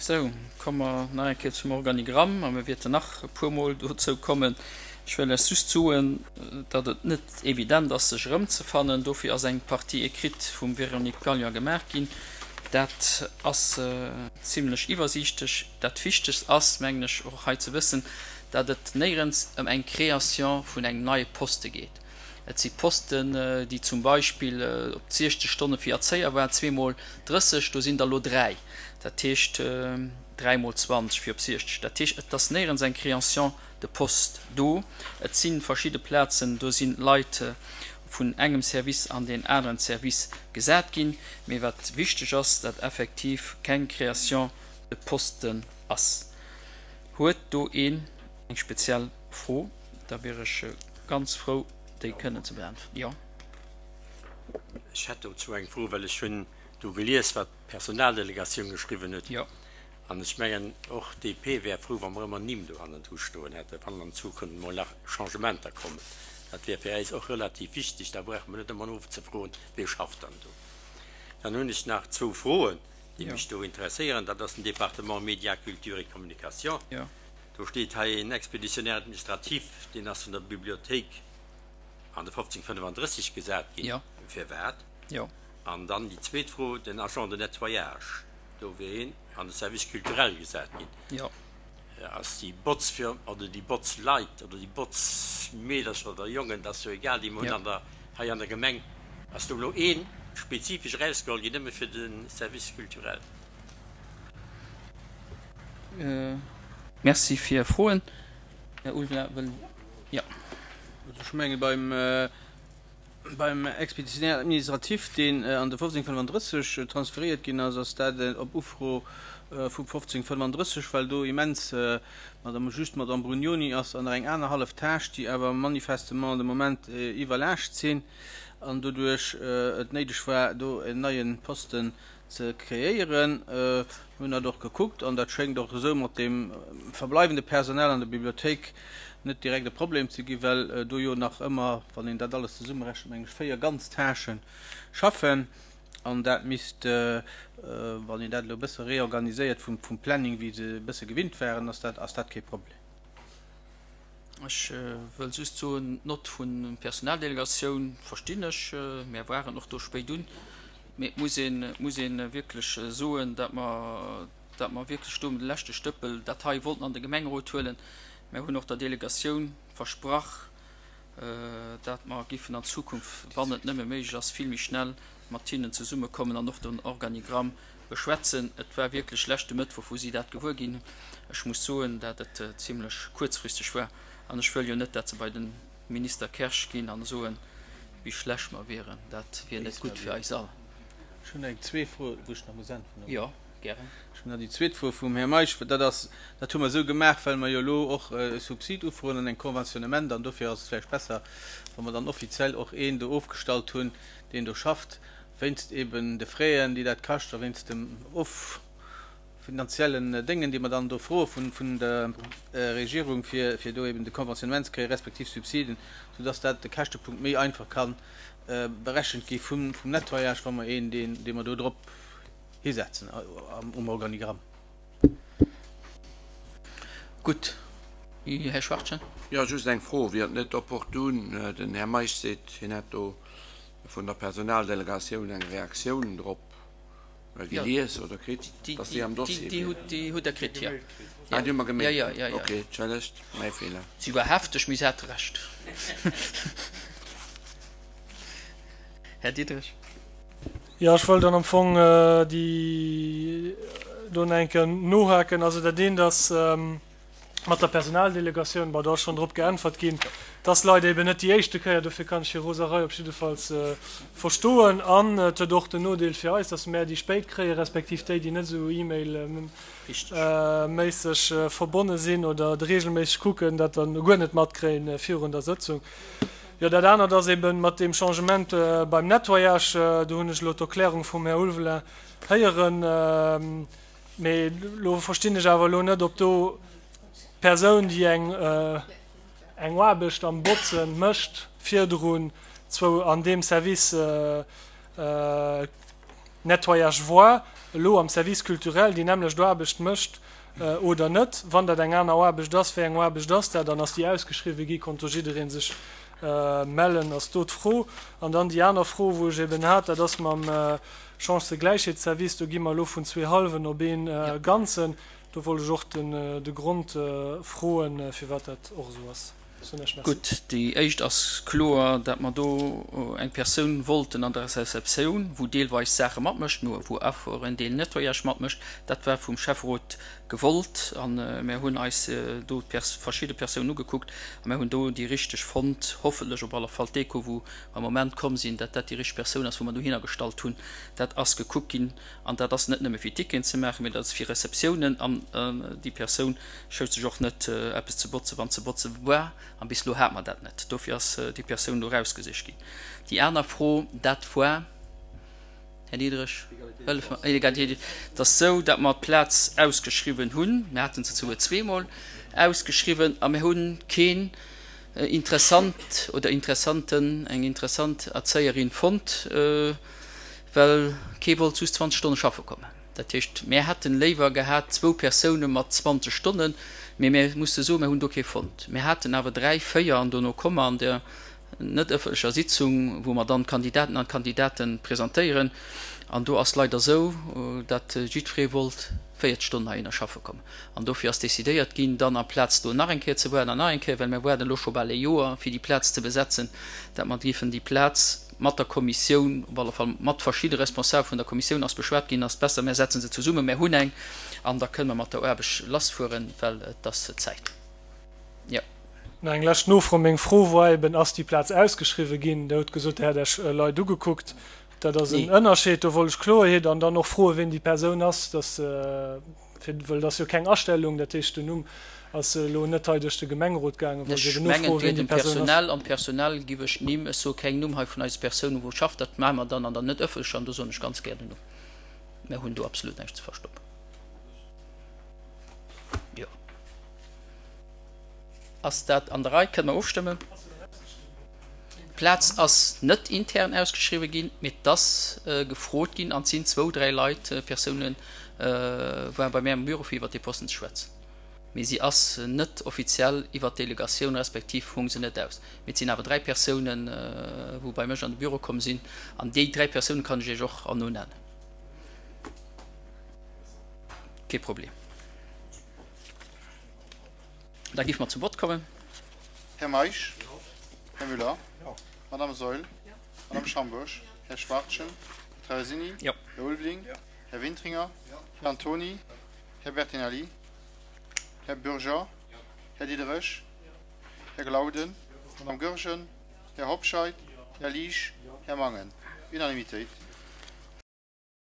Sou, komme mer nach eng Kéier zum Organigramm a mir wäerten nach e puermol dozou kommen. Ech wëll lech just soen, datt et net evident ass, sech erëmzefannen. Dofir ass eng Partie écrite vum Véronique Gallion gemaach ginn. Dat ass zimlech iwwersiichtlech. Dat Wichtegst ass, mengen ech, och hei ze wëssen, datt et néierens ëm eng Création vun engem neie Poste geet. Et si Posten, déi zum Beispill op 60 Stonne fir Erzéier waren, zweemol 30, do sinn der elo dräi, dat heescht dräimol 20 fir op 60. Dat heescht, et ass néierens eng Création de poste do. Et si verschidde Plazen, do si Leit vun engem Service an deen aneren Service gesat ginn. Mee wat wichteg ass, datt effektiv keng Création de poste ass. Huet do een eng speziell Fro? Da wier ech ganz frou, déi kënnen ze beäntweren. Jo. Ech hätt dozou eng Fro, well ech hunn do gelies, wat d'Personaldelegatioun geschriwwen huet. Jo. An ech mengen, och d'DP wär frou, wa mer ëmmer Nimm do hannendru stoen hätten, wann an Zukunft emol nach Changementer kommen. Dat wär fir äis och relativ wichteg. Da brauche mer net ëmmer nozefroen, Wie schafft dann do? Dann hunn ech nach zwou Froen, déi mech do interesséieren. Dat ass den Département Médias, Culture et Communication. Jo. Do steet hei een Expéditionnaire administratif, deen ass vun der Bibliothéik an de 1535 gesat ginn. Firwat? An dann déi zweet Fro, den Agent de nettoyage, do wier een an de Service culturel gesat ginn. Ass déi Botzfirm oder déi Botzleit oder déi Botzmeedercher oder jongen, dat ass jo egal, déi mer hunn an der, hei an der Gemeng, ass do elo ee spezifesch erausgeholl ginn nëmme fir de Service culturel? Merci fir Är Froen. Här Ulveling wëll, jo. Also ech menge beim, beim Expéditionnaire administratif, deen an de 1535 transfériert ginn ass, ass dat op Ufro vum 1535, well do immens, Madame, just d'Madame Brugnoni ass an nach eng aner hallef Tâche, déi awer manifestement de Moment iwwerlaascht sinn an doduerch et néideg war, do en neie Posten ze kreéieren. Mir hunn dat och gekuckt an dat schéngt och esou mat deem verbleiwende Personal an der Bibliothéik net direkt e Problem ze ginn, well do jo nach ëmmer, wann een dat alles zesummerechent, meng ech, 4 ganz Tâchen schaffen. An dat misst, wann een dat elo e bësse reorganiséiert vum Planning, wéi se e bësse gewinnt waren, ass dat, ass dat kee Problem. Ech wëll just soen, d'Nott vun Personaldelegatioun verstinn ech. Mär waren och do spéit un. Mee et muss een, et muss ee wierklech soen, datt mer, datt mer wierklech do um de leschte Stëppel dat hei wollten an de Gemengerot huelen. Mär hunn och der Delegatioun versprach, datt mer giffen an Zukunft, wann et nëmme méiglech ass, vill méi schnell mat hinnen zesummekommen an och den Organigramm beschwätzen. Et war wierklech leschte Mëttwoch, wou si dat gewuer ginn hunn. Ech muss soen, datt et zimlech kuerzfristeg war an ech wëll jo net, datt se bei de Minister Kersch ginn an soen, wéi schlecht mer wieren. Dat wier net gutt fir eis all. Ech hunn eng zweet Fro, wou ech nach muss äntweren, oder? Jo, gären. Ech hunn nach déi zweet Fro vum Här Meisch. Dat ass, dat hu mer esou gemaach, well mer jo elo och e Subsid ufroen an eng Conventionnement an dofir ass et vläicht besser, wa mer dann offiziell och een do ofgestallt hunn, deen do schafft, wéinst eben de Fräen, déi dat kascht a wéinst dem Of. Finanziellen Déngen, déi mer dann do froe vun der Regierung, fir do eben de Conventionnement ze kréien, respektiv Subsiden, soudass dat de Käschtepunkt méi einfach ka berechent gi vum Nettoyage, wa mer een, dee mer do drop hisetzen um Organigramm. Gutt. Här Schwachtgen. Jo, just eng Fro, Wier et net opportun, den Här Meisch seet, hien hätt do vun der Personaldelegatioun eng Reaktioun drop gelies oder kritt, dass déi am Dossier wier? Déi hutt Der kritt, jo. Ah, déi hu mer gemailt. Jo, jo, jo. Ok, entschëllegt, mäi Feeler. Si war hefteg, mee se hat Recht. Här Diderich. Jo, ech wollt dann am Fong déi do nach eng Kéier nohaken. Also dat eent ass, mat der Personaldelegatioun, bon, do ass schonn drop geäntwert ginn, dass Leit eben net déi éischte Kéier, dofir kann ech hir Roserei op jiddefalls verstoen. An et huet och den Nodeel fir eis, dass mär déi spéit kréien, respektiv déi, déi net esou e-mail-méisseg verbonne sinn oder et reegelméisseg kucken, dat dann guer net matkréien virun der Sëtzung. Jo, dat anert ass eben mat deem Changement beim Nettoyage, do hunn ech elo d'Erklärung vum Här Ulveling héieren. Mee elo verstinn ech awer elo net, ob do d'Persoun, déi eng eng Aarbecht am Botzen mécht, virdrun zwou an deem Service Nettoyage war. elo am Service culturel déi nämmlecht Aarbecht mécht oder net. Wann dat eng aner Aarbecht ass, wéi eng Aarbecht ass dat an ass déi ausgeschriwwen gi? Konnt do jidderee sech mellen, ass do d'Fro. An dann déi aner Fro, wou ech eben hat, dat ass mam Chancëgläichheetsservice. Do gi mer elo vun zwee hallwen op ee ganzen. Do wollt ech och de Grond froen, firwat dat och esou ass. Soen ech Merci. Gutt, déi éischt ass kloer, dat mer do eng Persoun wollten an der Receptioun, wou deelweis Saache matmécht, mä wou och en Deel Nettoyage matmécht. Dat war vum Schäfferot gewollt a mär hunn eis do verschidde Persounen ugekuckt a mär hunn do déi richteg fonnt, hoffentlech op alle Fall d'Echo, wou am Moment komm sinn, dat dat déi richteg Persoun ass, wou mer dohinner gestallt hunn. Dat ass gekuckt ginn an dat ass net nëmme fir Ticketen ze maachen, mä dat ass fir Receptiounen an déi Persoun schout sech och net eppes ze botzen, wann ze botze war an bis elo hate mer dat net. Dofir ass déi Persoun do erausgesicht ginn. Déi aner Fro, dat war, Här Diderich, hëllef mer, Egalitéit, et ass esou, datt mer d'Plaz ausgeschriwwen hunn, mir hate se souguer zweemol ausgeschriwwen a mir hu keen interessant oder interessanten, eng interessant Erzéierin fonnt, well kee wollt just 20 Stonne schaffe kommen. Dat heescht, mär hätten léiwer gehat zwou Persoune mat 20 Stonnen, mee mär musse soen, mär hunn do kee fonnt. Mär haten awer dräi, véier an dono komme mer an der net ëffentlecher Sitzung, wou mer dann d'Kandidaten an d'Kandidate presentéieren. An do ass leider esou, datt jiddweree wollt 40 Stonnen heihinner schaffe kommen. An dofir ass decidéiert ginn, dann amplaz do nach eng Kéier ze waarden an nach eng Kéier, well mir waarden elo scho bal ee Joer, fir déi Plaz ze besetzen, datt mer géifen déi Plaz mat der Kommissioun, op alle Fall mat verschidde Responsabel vun der Kommissioun ass beschwat ginn, ass besser, mär setzen se zesummen, mär hunn eng an da kënne mer mat der Aarbecht lassfueren, well et ass Zäit. Jo. Nach eng lescht Nofro. Meng Fro war eben, Ass déi Plaz ausgeschriwwen ginn? Der hutt gesot, Der hätt Iech Leit ugekuckt. Dat ass en Ënnerscheed. Do wollt ech Kloerheet an dann och froen, wien déi Persoun ass, dass, fir, well et ass jo keng Astellung, dat heescht, den Numm ass elo net hei duerch de Gemengerot gaangen, wollt ech eben nofroen, wien déi Persoun ass. Am Personal giff ech d'Nimm, ech soe keng Numm hei vun eise Persounen, wou schafft, dat maache mer dann an der net ëffentlecher an do soen ech ganz gär den Numm. Mär hunn do absolut näischt ze verstoppen. Jo. Ass dat an der Rei? Kënne mer ofstëmmen? D'Plaz ass net intern ausgeschriwwen ginn, mee et ass gefrot ginn an et sinn zwou, dräi Leit, Persounen, waren bei mär am Büro fir iwwert dee Posten ze schwätzen. Mee si ass net offiziell iwwert d'Delegatioun, respektiv hung se net aus. Mee et sinn awer dräi Persounen, wou bei mech an de Büro komm sinn an déi dräi Persounen kann ech Iech och herno nennen. Kee Problem. Da géife mer zum Vott kommen. Här Meisch? Här Müller? Madame Saeul? Madame Schambourg? Här Schwachtgen? Här Traversini? Här Ulveling? Här Wintringer? Här Antony? Här Bertinelli? Här Bürger? Här Diderich? Här Glauden? Madame Goergen? Här Hobscheit? Här Liesch? Här Mangen? Unanimitéit.